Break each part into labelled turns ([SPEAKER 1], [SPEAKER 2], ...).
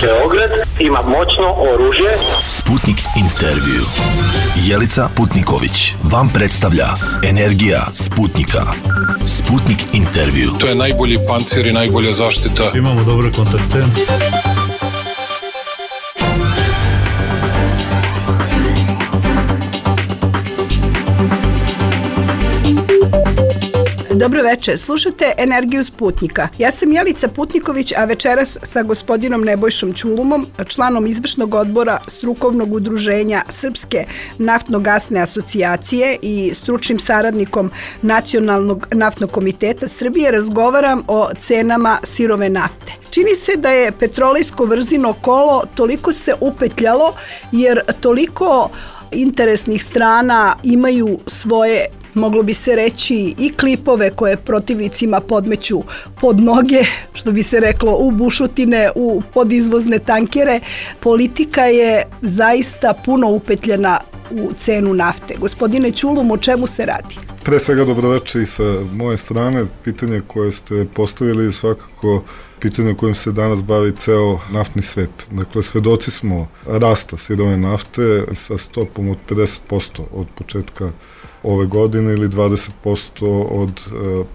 [SPEAKER 1] Beograd ima moćno oružje.
[SPEAKER 2] Sputnik intervju. Jelica Putniković vam predstavlja Energija Sputnika. Sputnik intervju.
[SPEAKER 3] To je najbolji pancir i najbolja zaštita.
[SPEAKER 4] Imamo dobre kontakte.
[SPEAKER 5] Dobro večer, slušate Energiju Sputnika. Ja sam Jelica Putniković, a večeras sa gospodinom Nebojšom Ćulumom, članom izvršnog odbora strukovnog udruženja Srpske naftno-gasne asocijacije i stručnim saradnikom Nacionalnog naftnog komiteta Srbije, razgovaram o cenama sirove nafte. Čini se da je petrolejsko vrzino kolo toliko se upetljalo, jer toliko interesnih strana imaju svoje, moglo bi se reći, i klipove koje protivnicima podmeću pod noge, što bi se reklo, u bušotine, u podizvozne tankere. Politika je zaista puno upetljena u cenu nafte. Gospodine Ćulum, o čemu se radi?
[SPEAKER 6] Pre svega dobroveče i sa moje strane. Pitanje koje ste postavili je svakako pitanje kojim se danas bavi ceo naftni svet. Dakle, svedoci smo rasta sirove nafte sa stopom od 50% od početka ove godine ili 20% od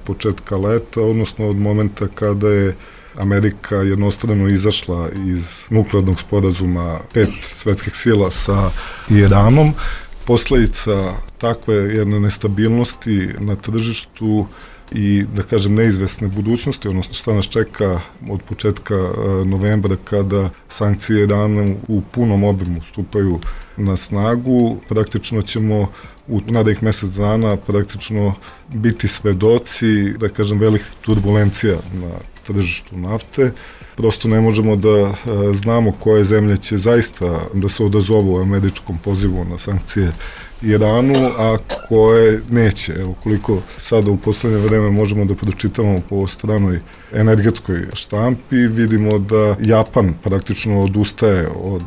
[SPEAKER 6] početka leta, odnosno od momenta kada je Amerika jednostrano izašla iz nuklearnog sporazuma 5 svetskih sila sa Iranom. Posledica takve jedne nestabilnosti na tržištu i, da kažem, neizvesne budućnosti, odnosno šta nas čeka od početka novembra kada sankcije Irana u punom obimu stupaju na snagu, praktično ćemo u narednih mesec dana praktično biti svedoci, da kažem, velikih turbulencija na tržištu nafte. Prosto ne možemo da znamo koje zemlje će zaista da se odazovu američkom pozivu na sankcije Iranu, a koje neće. Evo, koliko sada u poslednje vreme možemo da pročitamo po stranoj energetskoj štampi, vidimo da Japan praktično odustaje od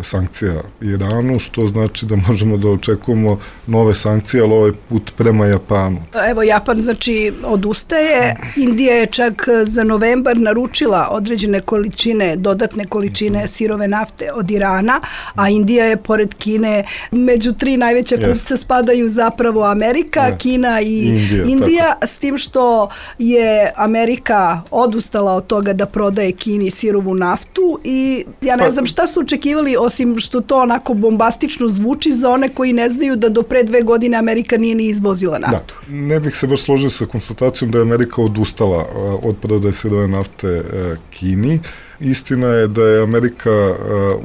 [SPEAKER 6] sankcija Iranu, što znači da možemo da očekujemo nove sankcije, ali ovaj put prema Japanu.
[SPEAKER 5] Evo, Japan znači odustaje. Indija je čak za novembar naručila određene količine, dodatne količine sirove nafte od Irana, a Indija je pored Kine među 3 najveća kupca spadaju zapravo Amerika, Kina i Indija, s tim što je Amerika odustala od toga da prodaje Kini sirovu naftu i ja ne znam šta su očekivali, osim što to onako bombastično zvuči za one koji ne znaju da do pre 2 godine Amerika nije ni izvozila naftu.
[SPEAKER 6] Da. Ne bih se baš složio sa konstatacijom da je Amerika odustala od prodaje sirove nafte Kini. Istina je da je Amerika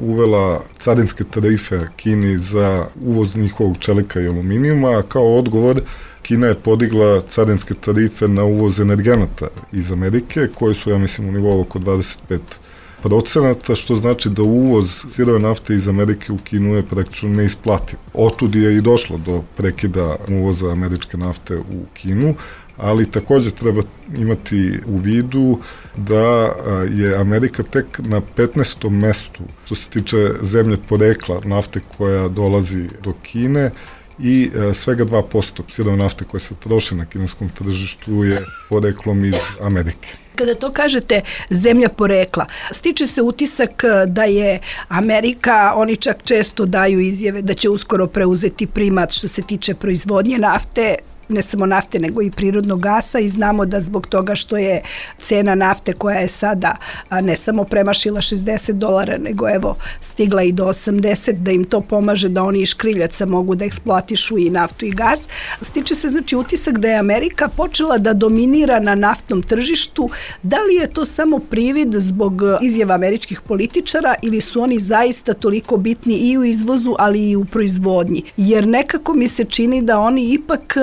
[SPEAKER 6] uvela carinske tarife Kini za uvoz njihovog čelika i aluminijuma, a kao odgovor Kina je podigla carinske tarife na uvoz energenata iz Amerike, koje su, ja mislim, u nivou oko 25%, što znači da uvoz sirove nafte iz Amerike u Kinu je praktično neisplativ. Otud je i došlo do prekida uvoza američke nafte u Kinu, ali takođe treba imati u vidu da je Amerika tek na 15. mestu što se tiče zemlje porekla nafte koja dolazi do Kine i svega 2% sirove nafte koje se troše na kineskom tržištu je poreklom iz Amerike.
[SPEAKER 5] Kada to kažete zemlja porekla, stiče se utisak da je Amerika, oni čak često daju izjave da će uskoro preuzeti primat što se tiče proizvodnje nafte, ne samo nafte nego i prirodnog gasa, i znamo da zbog toga što je cena nafte koja je sada ne samo premašila $60 nego evo stigla i do 80, da im to pomaže da oni iz škriljaca mogu da eksploatišu i naftu i gas. Stiče se znači utisak da je Amerika počela da dominira na naftnom tržištu. Da li je to samo privid zbog izjava američkih političara ili su oni zaista toliko bitni i u izvozu ali i u proizvodnji? Jer nekako mi se čini da oni ipak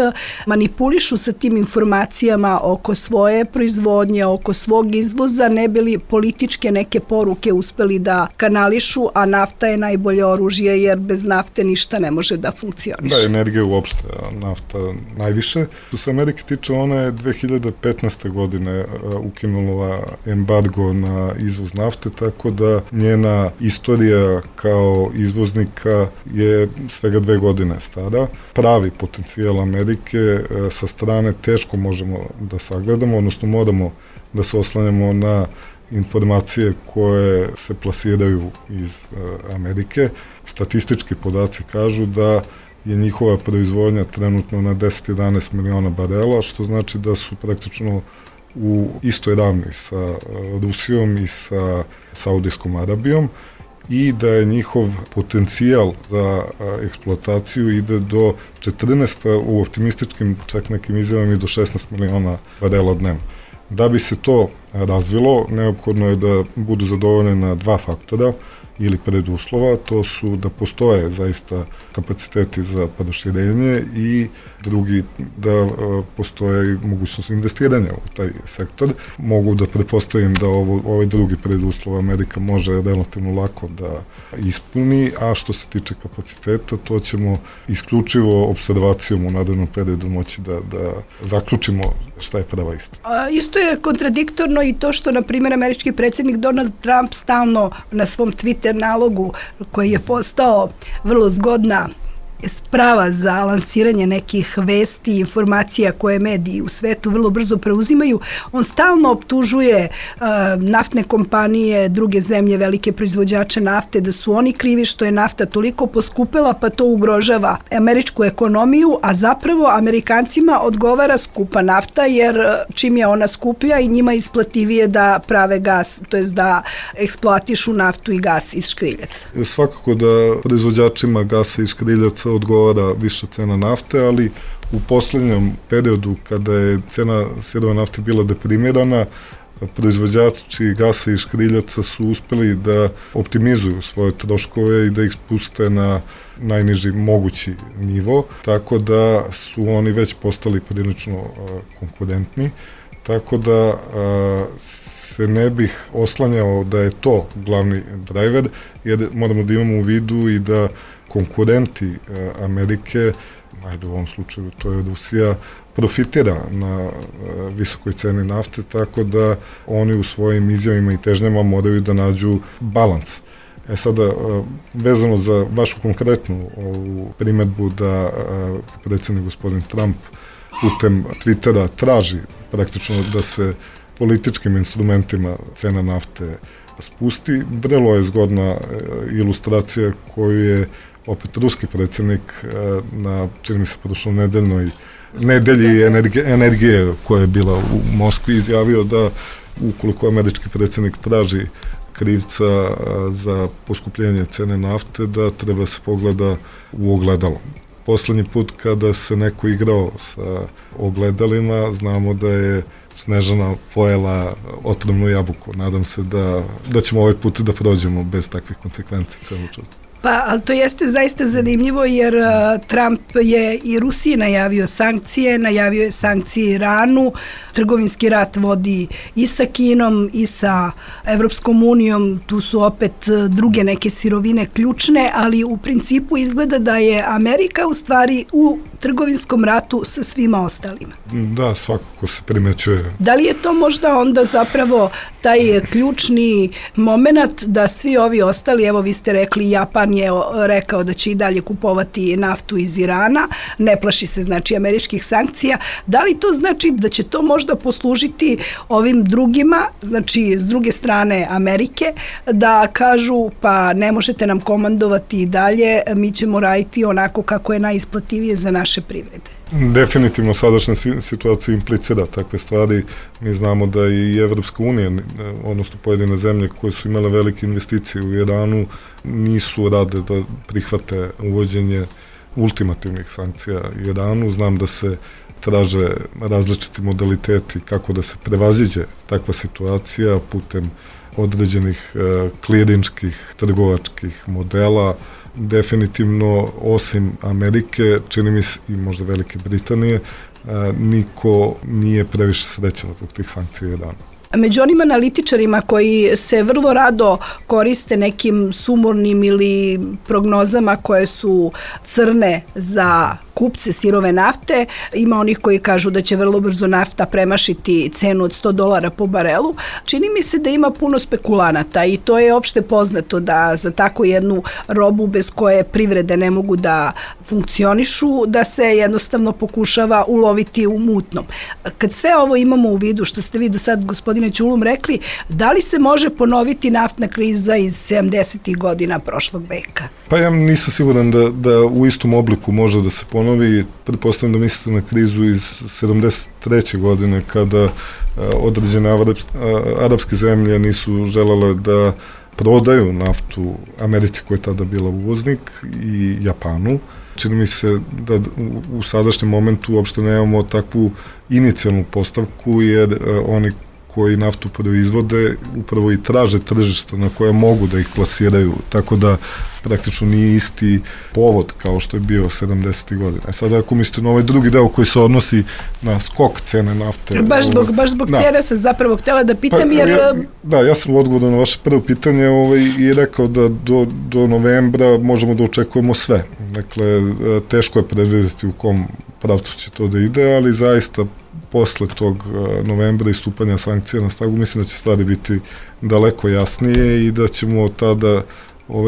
[SPEAKER 5] manipulišu sa tim informacijama oko svoje proizvodnje, oko svog izvoza, ne bili političke neke poruke uspeli da kanališu, a nafta je najbolje oružje jer bez nafte ništa ne može da funkcioniše.
[SPEAKER 6] Da, energija uopšte, a nafta najviše. Što se Amerike tiče, ona je 2015. godine ukinula embargo na izvoz nafte, tako da njena istorija kao izvoznika je svega 2 godine stara. Pravi potencijal Amerike sa strane teško možemo da sagledamo, odnosno moramo da se oslanjamo na informacije koje se plasiraju iz Amerike. Statistički podaci kažu da je njihova proizvodnja trenutno na 10-11 miliona barela, što znači da su praktično u istoj ravni sa Rusijom i sa Saudijskom Arabijom i da je njihov potencijal za eksploataciju ide do 14, u optimističkim čak nekim izjavama i do 16 miliona barela dnevno. Da bi se to razvilo, neophodno je da budu zadovoljena dva faktora ili preduslova, to su da postoje zaista kapaciteti za proširenje i drugi da postoje i mogućnost investiranja u taj sektor. Mogu da pretpostavim da ovaj drugi preduslov Amerika može relativno lako da ispuni, a što se tiče kapaciteta, to ćemo isključivo observacijom u narednom periodu moći da zaključimo šta je prava istina.
[SPEAKER 5] Isto je kontradiktorno i to što, na primjer, američki predsjednik Donald Trump stalno na svom Twitter nalogu, koji je postao vrlo zgodna sprava za lansiranje nekih vesti i informacija koje mediji u svetu vrlo brzo preuzimaju, on stalno optužuje naftne kompanije, druge zemlje, velike proizvođače nafte, da su oni krivi što je nafta toliko poskupela, pa to ugrožava američku ekonomiju, a zapravo Amerikancima odgovara skupa nafta, jer čim je ona skuplja i njima isplativije da prave gas, to jest da eksploatišu naftu i gas iz škriljaca.
[SPEAKER 6] Svakako da proizvođačima gasa iz škriljaca odgovara viša cena nafte, ali u poslednjem periodu kada je cena sirove nafte bila deprimirana, proizvođači gasa i škriljaca su uspeli da optimizuju svoje troškove i da ih spuste na najniži mogući nivo, tako da su oni već postali prilično konkurentni, tako da se ne bih oslanjao da je to glavni driver, jer moramo da imamo u vidu i da konkurenti Amerike, u ovom slučaju to je Rusija, profitira na visokoj ceni nafte, tako da oni u svojim izjavima i težnjama moraju da nađu balans. Sada, vezano za vašu konkretnu primedbu da predsjednik gospodin Trump putem Twittera traži praktično da se političkim instrumentima cena nafte spusti, vrlo je zgodna ilustracija koju je opet ruski predsjednik na, čini mi se, prošlo nedelji energije koja je bila u Moskvi izjavio da ukoliko američki predsjednik traži krivca za poskupljenje cene nafte, da treba se pogleda u ogledalo. Poslednji put kada se neko igrao sa ogledalima, znamo da je Snežana pojela otrovnu jabuku. Nadam se da ćemo ovaj put da prođemo bez takvih konsekvenci celu čudu.
[SPEAKER 5] Pa, ali to jeste zaista zanimljivo, jer Trump je i Rusiji najavio je sankcije Iranu, trgovinski rat vodi i sa Kinom i sa Evropskom unijom, tu su opet druge neke sirovine ključne, ali u principu izgleda da je Amerika u stvari u trgovinskom ratu sa svima ostalima.
[SPEAKER 6] Da, svakako se primećuje.
[SPEAKER 5] Da li je to možda onda zapravo taj ključni moment da svi ovi ostali, evo vi ste rekli, Japan je rekao da će i dalje kupovati naftu iz Irana, ne plaši se znači američkih sankcija, da li to znači da će to možda poslužiti ovim drugima, znači s druge strane Amerike, da kažu pa ne možete nam komandovati i dalje, mi ćemo raditi onako kako je najisplativije za naše privrede?
[SPEAKER 6] Definitivno sadašnja situacija implicira takve stvari. Mi znamo da i Evropska unija, odnosno pojedine zemlje koje su imale velike investicije u Iranu, nisu rade da prihvate uvođenje ultimativnih sankcija Iranu. Znam da se traže različiti modaliteti kako da se prevaziđe takva situacija putem određenih klirinških, trgovačkih modela. Definitivno, osim Amerike, čini mi se i možda Velike Britanije, niko nije previše srećan zbog tih sankcija Irana.
[SPEAKER 5] Među onim analitičarima koji se vrlo rado koriste nekim sumornim ili prognozama koje su crne za kupce sirove nafte. Ima onih koji kažu da će vrlo brzo nafta premašiti cenu od $100 po barelu. Čini mi se da ima puno spekulanata i to je opšte poznato da za tako jednu robu bez koje privrede ne mogu da funkcionišu, da se jednostavno pokušava uloviti u mutnom. Kad sve ovo imamo u vidu, što ste vi do sad, gospodine Ćulum, rekli, da li se može ponoviti naftna kriza iz 70. godina prošlog veka?
[SPEAKER 6] Pa ja nisam siguran da u istom obliku može da se ponovi. Pretpostavljam da mislite na krizu iz 73. godine kada određene arapske zemlje nisu želele da prodaju naftu Americi koja je tada bila uvoznik i Japanu. Čini mi se da u sadašnjem momentu uopšte nemamo takvu inicijalnu postavku jer oni koji naftu proizvode upravo i traže tržišta na koje mogu da ih plasiraju, tako da praktično nije isti povod kao što je bio 70. godina. Sada ako mislite na ovaj drugi deo koji se odnosi na skok cene nafte...
[SPEAKER 5] Baš zbog cene sam zapravo htjela da pitam jer...
[SPEAKER 6] Ja sam u odgovoru na vaše prvo pitanje i rekao da do novembra možemo da očekujemo sve. Dakle, teško je predvidjeti u kom pravcu će to da ide, ali zaista posle tog novembra i stupanja sankcija na snagu, mislim da će stvari biti daleko jasnije i da ćemo tada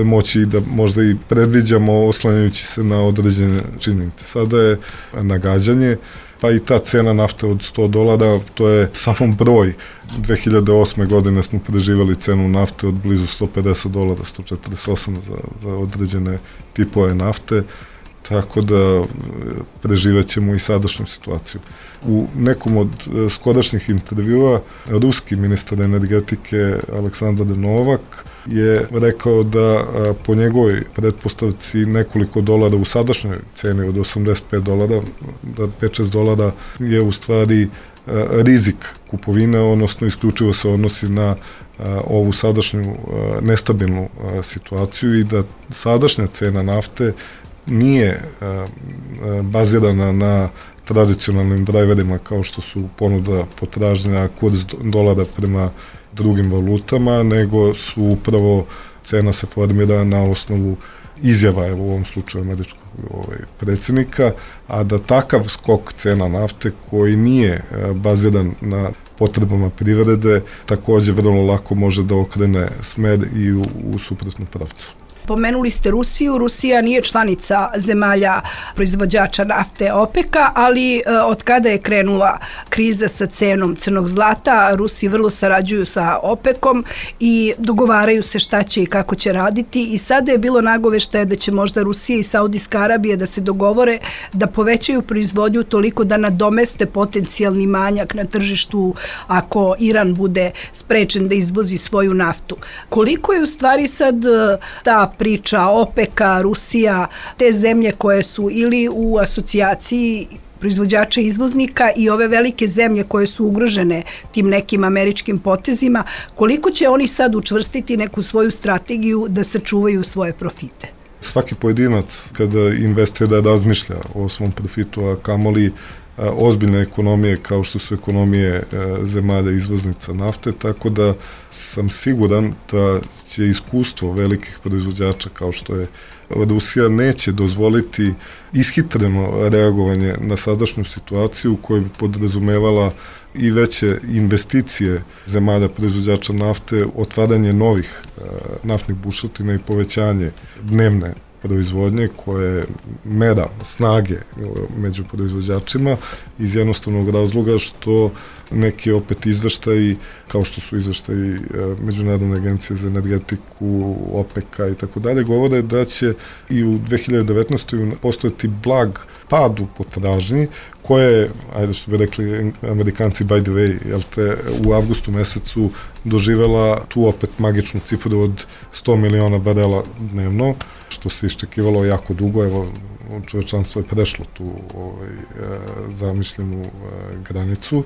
[SPEAKER 6] moći da možda i predviđamo oslanjajući se na određene činjenice. Sada je nagađanje, pa i ta cena nafte od $100, to je samo broj. 2008. godine smo preživali cenu nafte od blizu $150, 148 za određene tipove nafte, tako da preživećemo i sadašnju situaciju. U nekom od skorašnjih intervjua ruski ministar energetike Aleksandar Novak je rekao da po njegovoj pretpostavci nekoliko dolara u sadašnjoj ceni od $85, da $5-6 je u stvari rizik kupovine, odnosno isključivo se odnosi na ovu sadašnju nestabilnu situaciju i da sadašnja cena nafte nije bazirana na tradicionalnim driverima kao što su ponuda, potražnja, kurs dolara prema drugim valutama, nego su upravo cena se formira na osnovu izjava, evo u ovom slučaju američkog predsjednika, a da takav skok cena nafte koji nije baziran na potrebama privrede takođe vrlo lako može da okrene smer i u suprotnu pravcu.
[SPEAKER 5] Pomenuli ste Rusiju. Rusija nije članica zemalja proizvođača nafte OPEC-a, ali od kada je krenula kriza sa cenom crnog zlata, Rusi vrlo sarađuju sa OPEC-om i dogovaraju se šta će i kako će raditi i sada je bilo nagoveštaje da će možda Rusija i Saudijska Arabija da se dogovore da povećaju proizvodnju toliko da nadomeste potencijalni manjak na tržištu ako Iran bude sprečen da izvozi svoju naftu. Koliko je u stvari sad ta priča OPEC-a, Rusija, te zemlje koje su ili u asocijaciji proizvođača i izvoznika i ove velike zemlje koje su ugrožene tim nekim američkim potezima, koliko će oni sad učvrstiti neku svoju strategiju da sačuvaju svoje profite?
[SPEAKER 6] Svaki pojedinac kada investira razmišlja o svom profitu, a kamoli ozbiljne ekonomije kao što su ekonomije zemalja izvoznica nafte, tako da sam siguran da će iskustvo velikih proizvođača kao što je Rusija neće dozvoliti ishitreno reagovanje na sadašnju situaciju koja bi podrazumevala i veće investicije zemalja proizvođača nafte, otvaranje novih naftnih bušotina i povećanje dnevne proizvodnje koje je mera snage među proizvođačima iz jednostavnog razloga što neki opet izveštaji, kao što su izveštaji Međunarodne agencije za energetiku, OPEC-a i tako dalje, govore da će i u 2019. postojati blag pad u potražnji, koja je, ajde što bi rekli Amerikanci by the way, u avgustu mesecu doživela tu opet magičnu cifru od 100 miliona barela dnevno, što se iščekivalo jako dugo, evo čovečanstvo je prešlo tu zamišljenu granicu.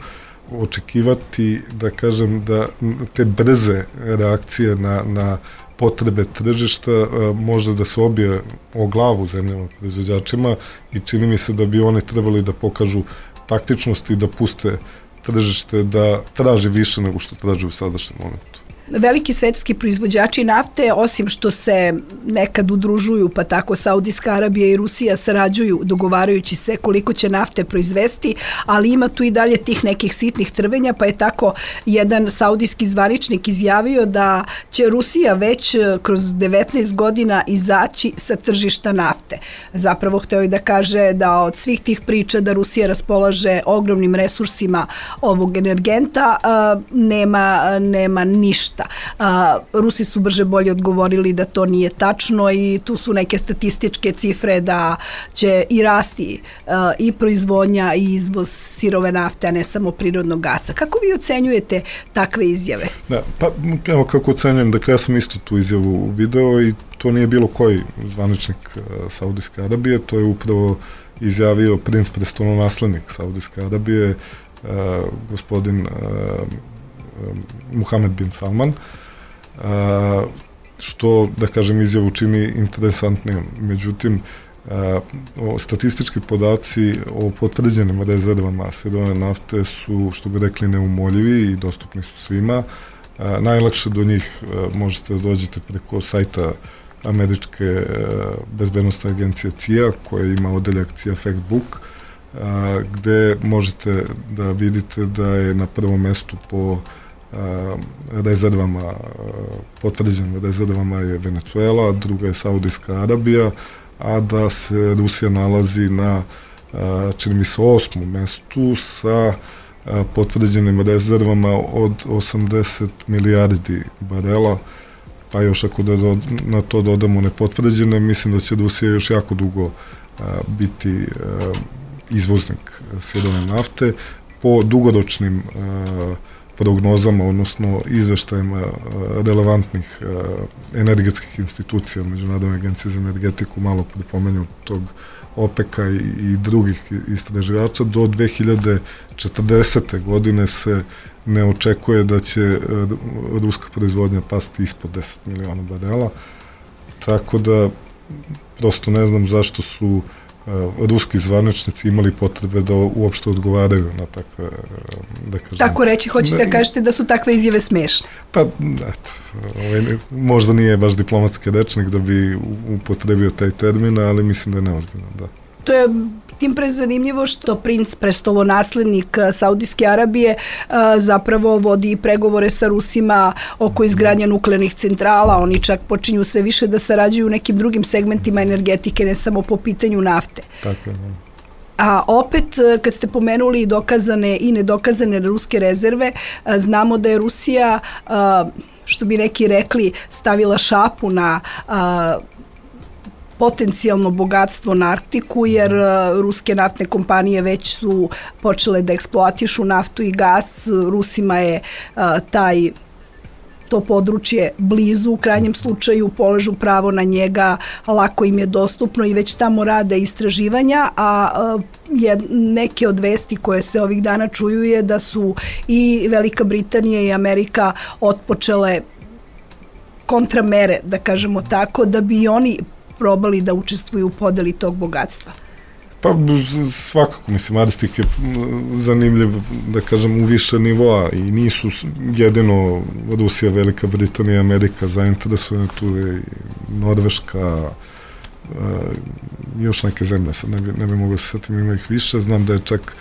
[SPEAKER 6] Očekivati, da kažem, da te brze reakcije na potrebe tržišta može da se obije o glavu zemljama proizvođačima i čini mi se da bi oni trebali da pokažu taktičnost i da puste tržište da traži više nego što traži u sadašnjem momentu.
[SPEAKER 5] veliki svetski proizvođači nafte, osim što se nekad udružuju, pa tako Saudijska Arabija i Rusija sarađuju dogovarajući se koliko će nafte proizvesti, ali ima tu i dalje tih nekih sitnih trvenja, pa je tako jedan saudijski zvaničnik izjavio da će Rusija već kroz 19 godina izaći sa tržišta nafte. Zapravo hteo je da kaže da od svih tih priča da Rusija raspolaže ogromnim resursima ovog energenta, nema ništa. Rusi su brže bolje odgovorili da to nije tačno i tu su neke statističke cifre da će i rasti i proizvodnja i izvoz sirove nafte, a ne samo prirodnog gasa. Kako vi ocenjujete takve izjave?
[SPEAKER 6] Da, pa evo kako ocenjujem, dakle ja sam isto tu izjavu video i to nije bilo koji zvaničnik Saudijske Arabije, to je upravo izjavio princ prestolonaslednik Saudijske Arabije, gospodin Muhammed bin Salman, što, da kažem, izjavu čini interesantnijom. Međutim, statistički podaci o potvrđenim rezervama sirove nafte su, što bi rekli, neumoljivi i dostupni su svima. Najlakše do njih možete da dođete preko sajta američke bezbednostne agencije CIA, koja ima odeljak CIA Factbook, gde možete da vidite da je na prvom mestu po rezervama, potvrđenim rezervama je Venezuela, druga je Saudijska Arabija, a da se Rusija nalazi na, čini mi se, 8. mestu sa potvrđenim rezervama od 80 milijardi barela, pa još ako na to dodamo nepotvrđene, mislim da će Rusija još jako dugo biti izvoznik sirove nafte. Po dugoročnim prognozama, odnosno izveštajima relevantnih energetskih institucija, Međunarodne agencije za energetiku, malo pripomenju tog OPEC-a i drugih istraživača, do 2040. godine se ne očekuje da će ruska proizvodnja pasti ispod 10 miliona barela, tako da prosto ne znam zašto su ruski zvaničnici imali potrebe da uopšte odgovaraju na takve, da kažem... Tako
[SPEAKER 5] reći, hoćete da kažete da su takve izjave smešne?
[SPEAKER 6] Pa, eto, možda nije baš diplomatski rečnik da bi upotrebio taj termin, ali mislim da je neozbiljno, da.
[SPEAKER 5] To je tim pre zanimljivo što princ prestolonaslednik Saudijske Arabije zapravo vodi pregovore sa Rusima oko izgradnje nuklearnih centrala. Oni čak počinju sve više da sarađuju u nekim drugim segmentima energetike, ne samo po pitanju nafte.
[SPEAKER 6] Tako je, da.
[SPEAKER 5] A opet, kad ste pomenuli dokazane i nedokazane ruske rezerve, znamo da je Rusija, što bi neki rekli, stavila šapu na potencijalno bogatstvo na Arktiku, jer ruske naftne kompanije već su počele da eksploatišu naftu i gas. Rusima je to područje blizu, u krajnjem slučaju polažu pravo na njega, lako im je dostupno i već tamo rade istraživanja, a neke od vesti koje se ovih dana čuju je da su i Velika Britanija i Amerika otpočele kontramere, da kažemo tako, da bi oni probali da učestvuju u podeli tog bogatstva.
[SPEAKER 6] Pa svakako, mislim, Arktik je zanimljiv, da kažem, u više nivoa i nisu jedino Rusija, Velika Britanija i Amerika zainteresovane, tu je i Norveška, još neke zemlje, sad ne bi mogo se setim, ima ih više. Znam da je čak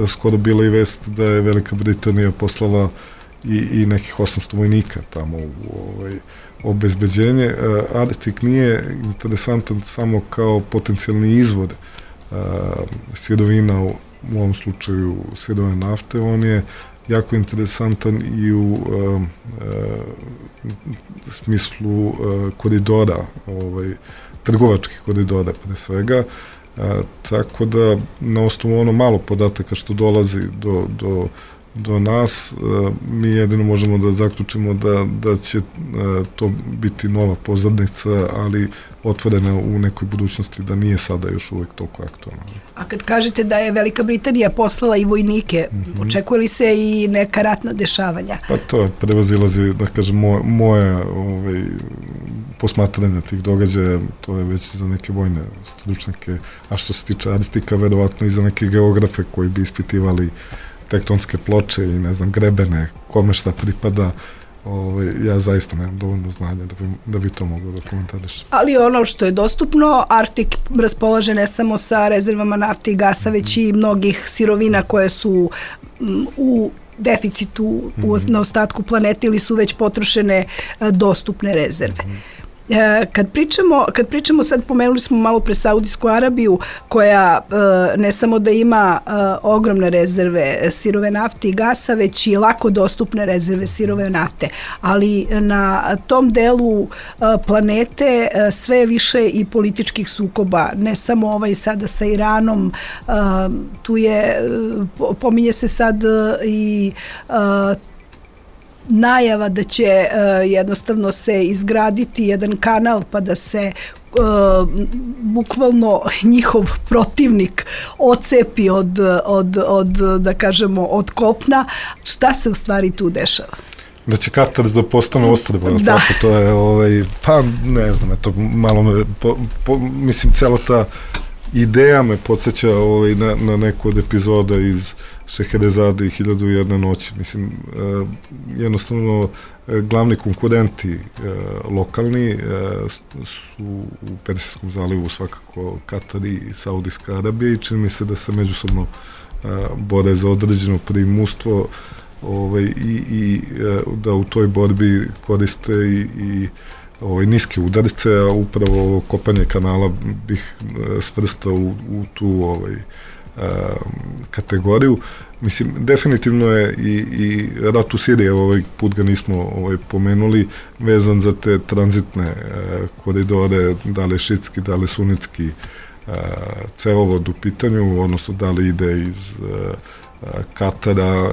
[SPEAKER 6] skoro bila i vest da je Velika Britanija poslala i nekih 800 vojnika tamo u obezbeđenje. Arktik nije interesantan samo kao potencijalni izvor sirovina, u ovom slučaju sirove nafte, on je jako interesantan i u smislu koridora, trgovačkih koridora pre svega, tako da na osnovu ono malo podataka što dolazi do nas, mi jedino možemo da zaključimo da će to biti nova pozadnica, ali otvorena u nekoj budućnosti, da nije sada još uvek toliko aktualno.
[SPEAKER 5] A kad kažete da je Velika Britanija poslala i vojnike, očekuje li se i neka ratna dešavanja?
[SPEAKER 6] Pa to prevazilazi, da kažem, moje posmatranje tih događaja, to je već za neke vojne stručnjake, a što se tiče Arktika, verovatno i za neke geografe koji bi ispitivali tektonske ploče i, ne znam, grebene, kome šta pripada, ja zaista nemam dovoljno znanja da bi to mogao da komentarišem.
[SPEAKER 5] Ali ono što je dostupno, Arktik raspolaže ne samo sa rezervama nafte i gasa, već i mnogih sirovina koje su u deficitu na ostatku planete ili su već potrošene dostupne rezerve. Kad pričamo sad, pomenuli smo malo pre Saudijsku Arabiju, koja ne samo da ima ogromne rezerve sirove nafte i gasa, već i lako dostupne rezerve sirove nafte. Ali na tom delu planete sve više i političkih sukoba, ne samo sada sa Iranom, tu je, pominje se sad i najava da će jednostavno se izgraditi jedan kanal pa da se bukvalno njihov protivnik ocepi da kažemo, od kopna. Šta se u stvari tu dešava?
[SPEAKER 6] Da će Katar da postane ostrvo, tako to je, pa ne znam, eto, malo mislim, cela ta ideja me podsjeća na neku od epizoda iz Šeherezade i 1001 noći. Mislim, jednostavno, glavni konkurenti lokalni su u Persijskom zalivu svakako Katar i Saudijska Arabija i čini mi se da se međusobno bore za određeno primustvo i da u toj borbi koriste i niske udarce, a upravo kopanje kanala bih svrstao u tu kategoriju. Mislim, definitivno je i rat u Siriji, ovaj put ga nismo pomenuli, vezan za te tranzitne koridore, da li šitski, da li sunitski cevovod u pitanju, odnosno da li ide iz Katara,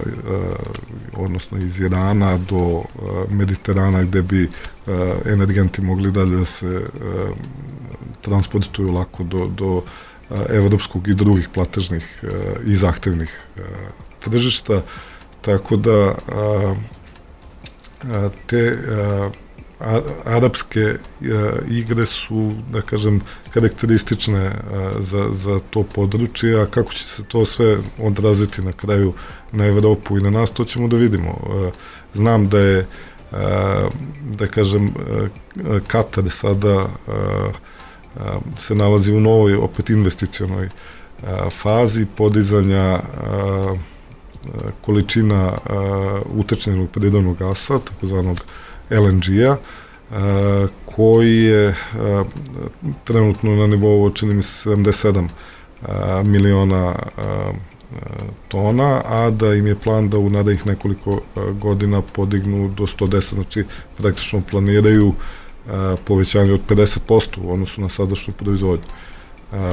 [SPEAKER 6] odnosno iz Irana do Mediterana, gde bi energenti mogli dalje da se transportuju lako do evropskog i drugih platežnih i zahtevnih tržišta, tako da te arapske igre su, da kažem, karakteristične za to područje, a kako će se to sve odraziti na kraju na Evropu i na nas, to ćemo da vidimo. Znam da je, da kažem, Katar sada se nalazi u novoj, opet investicionoj fazi podizanja količina utečnenog prirodnog gasa, takozvanog LNG-a, koji je trenutno na nivou, čini mi se, 77 miliona tona, a da im je plan da u narednih nekoliko godina podignu do 110, znači praktično planiraju povećanje od 50% u odnosu na sadašnju proizvodnju.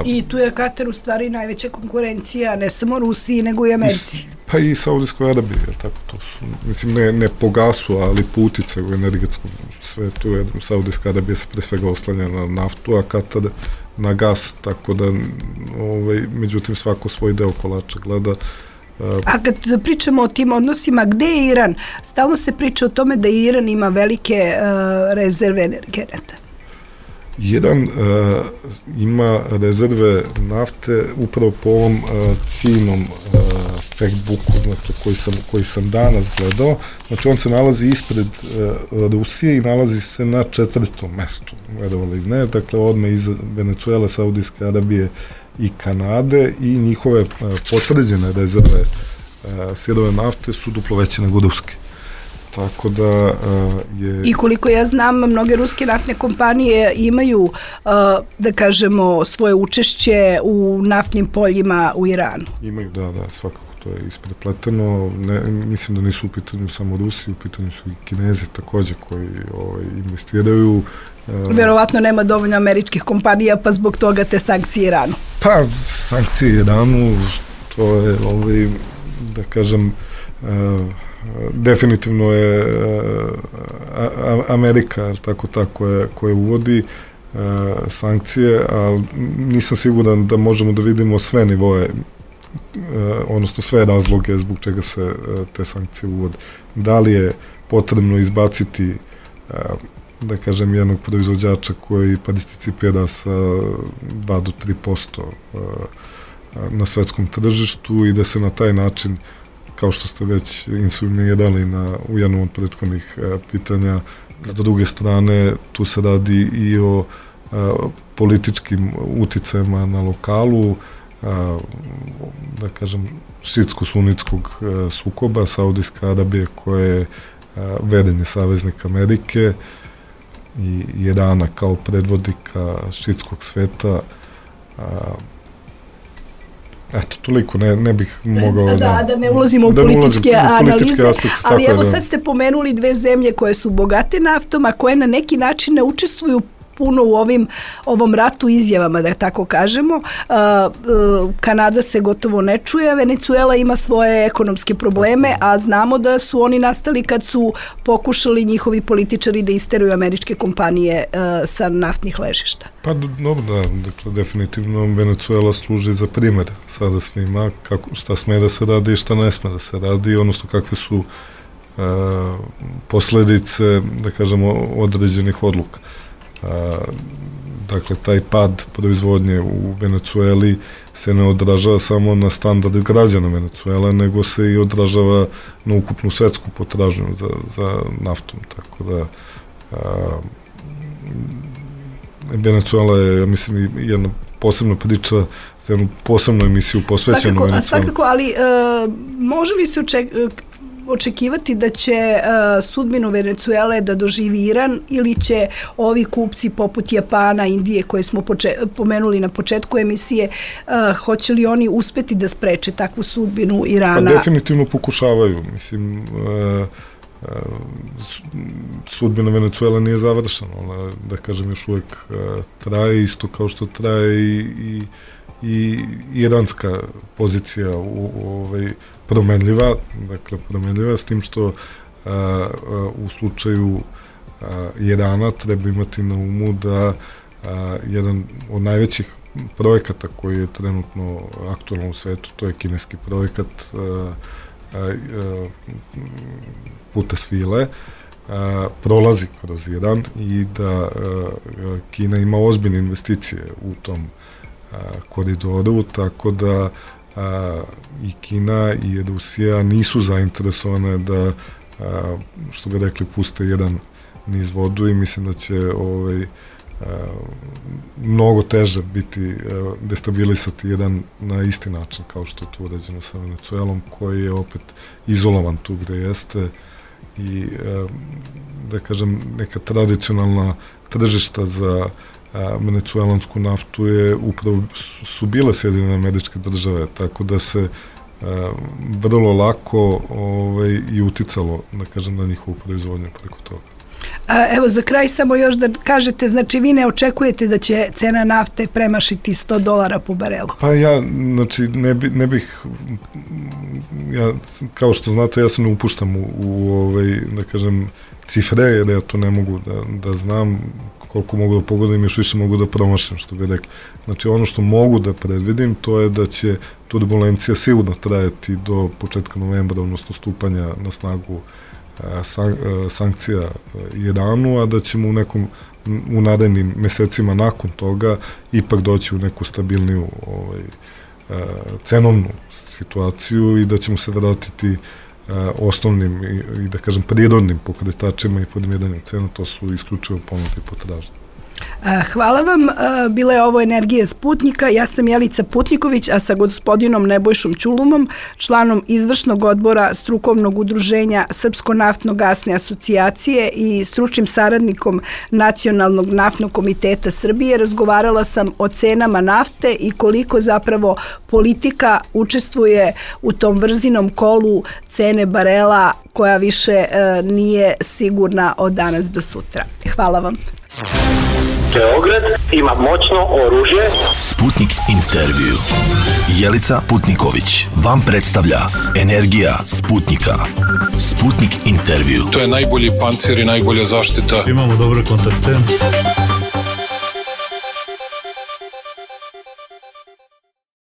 [SPEAKER 5] I tu je Katar u stvari najveća konkurencija, ne samo Rusiji, nego i Americi.
[SPEAKER 6] Pa i Saudijskoj Arabiji, tako to su, mislim, ne po gasu, ali po uticaju u energetskom svetu, jer Saudijska Arabija se pre svega oslanja na naftu, a Katar na gas, tako da, međutim, svako svoj deo kolača gleda.
[SPEAKER 5] A kad pričamo o tim odnosima, gde je Iran? Stalno se priča o tome da Iran ima velike rezerve energenata.
[SPEAKER 6] Iran ima rezerve nafte upravo po ovom ciljnom factbooku, koji sam danas gledao. Znači, on se nalazi ispred Rusije i nalazi se na 4. mestu, verovali ne, dakle odmah iz Venecuele, Saudijske Arabije i Kanade, i njihove potvrđene rezerve sirove nafte su duplo veće nego ruske. Tako da je...
[SPEAKER 5] I koliko ja znam, mnoge ruske naftne kompanije imaju, da kažemo, svoje učešće u naftnim poljima u Iranu.
[SPEAKER 6] Imaju, da, svakako to je isprepleteno. Mislim da nisu u pitanju samo Rusi, u pitanju su i Kinezi takođe koji investiraju.
[SPEAKER 5] Verovatno nema dovoljno američkih kompanija, pa zbog toga te sankcije Iranu.
[SPEAKER 6] Pa, sankcije Iranu, to je, da kažem, definitivno je Amerika koja uvodi sankcije, ali nisam siguran da možemo da vidimo sve nivoe, odnosno sve razloge zbog čega se te sankcije uvode. Da li je potrebno izbaciti, da kažem, jednog proizvođača koji participira sa 2 do 3% na svetskom tržištu i da se na taj način kao što ste već insumirali u jednom od prethodnih pitanja. S druge strane, tu se radi i o političkim uticajima na lokalu, da kažem, šiitsko-sunitskog sukoba, Saudijska Arabija koja je vedeni saveznik Amerike i Irana kao predvodnika šiitskog sveta. Eto, toliko, ne bih mogao
[SPEAKER 5] da ne ulazimo u političke analize, ali evo sad ste pomenuli dve zemlje koje su bogate naftom, a koje na neki način ne učestvuju puno u ovom ratu izjavama, da tako kažemo. Kanada se gotovo ne čuje, Venezuela ima svoje ekonomske probleme, a znamo da su oni nastali kad su pokušali njihovi političari da isteruju američke kompanije sa naftnih ležišta.
[SPEAKER 6] Pa dobro, da, dakle, definitivno Venezuela služi za primer sada svima, šta sme da se radi i šta ne sme da se radi, odnosno kakve su posledice, da kažemo, određenih odluka. Dakle, taj pad proizvodnje u Venecueli se ne odražava samo na standard građana Venecuela, nego se i odražava na ukupnu svetsku potražnju za naftom. Tako da Venecuela je, ja mislim, jedna posebna priča za jednu posebnu emisiju posvećenu Venecueli.
[SPEAKER 5] Svakako, ali može li se očekivati da će sudbinu Venecuele da doživi Iran ili će ovi kupci poput Japana, Indije koje smo pomenuli na početku emisije, hoće li oni uspeti da spreče takvu sudbinu Irana?
[SPEAKER 6] Pa definitivno pokušavaju. Mislim, sudbina Venecuela nije završena. Ona, da kažem, još uvijek traje, isto kao što traje i iranska pozicija promenljiva, dakle promenljiva, s tim što u slučaju Irana treba imati na umu da jedan od najvećih projekata koji je trenutno aktualan u svetu, to je kineski projekat puta svile, prolazi kroz Iran i da Kina ima ozbiljne investicije u tom koridoru, tako da i Kina i Rusija nisu zainteresovane da, što bi rekli, puste jedan niz vodu i mislim da će mnogo teže biti destabilisati jedan na isti način kao što je to urađeno sa Venecuelom, koji je opet izolovan tu gde jeste i da kažem neka tradicionalna tržišta za venecuelansku naftu je upravo su bile Sjedinjene Američke Države, tako da se vrlo lako i uticalo, da kažem, na njihovu proizvodnju preko toga.
[SPEAKER 5] Evo, za kraj samo još da kažete, znači vi ne očekujete da će cena nafte premašiti $100 po barelu?
[SPEAKER 6] Pa ja, znači, ne bih, ja, kao što znate, ja se ne upuštam u da kažem, cifre, jer ja to ne mogu da znam, koliko mogu da pogodim, još više mogu da promašam, što bi rekli. Znači, ono što mogu da predvidim, to je da će turbulencija sigurno trajati do početka novembra, odnosno stupanja na snagu sankcija Iranu, a da ćemo u narednim mesecima nakon toga ipak doći u neku stabilniju cenovnu situaciju i da ćemo se vratiti osnovnim i da kažem prirodnim pokretačima i formiranjem cena, to su isključivo ponuda i potražnja.
[SPEAKER 5] Hvala vam. Bila je ovo Energija Sputnika. Ja sam Jelica Putniković, a sa gospodinom Nebojšom Ćulumom, članom izvršnog odbora strukovnog udruženja Srpsko-naftno-gasne asocijacije i stručnim saradnikom Nacionalnog naftnog komiteta Srbije, razgovarala sam o cenama nafte i koliko zapravo politika učestvuje u tom vrzinom kolu cene barela koja više nije sigurna od danas do sutra. Hvala vam.
[SPEAKER 1] Beograd ima moćno oružje.
[SPEAKER 2] Sputnik intervju. Jelica Putniković vam predstavlja Energija Sputnika. Sputnik intervju.
[SPEAKER 3] To je najbolji pancir i najbolja zaštita.
[SPEAKER 4] Imamo dobre kontakte.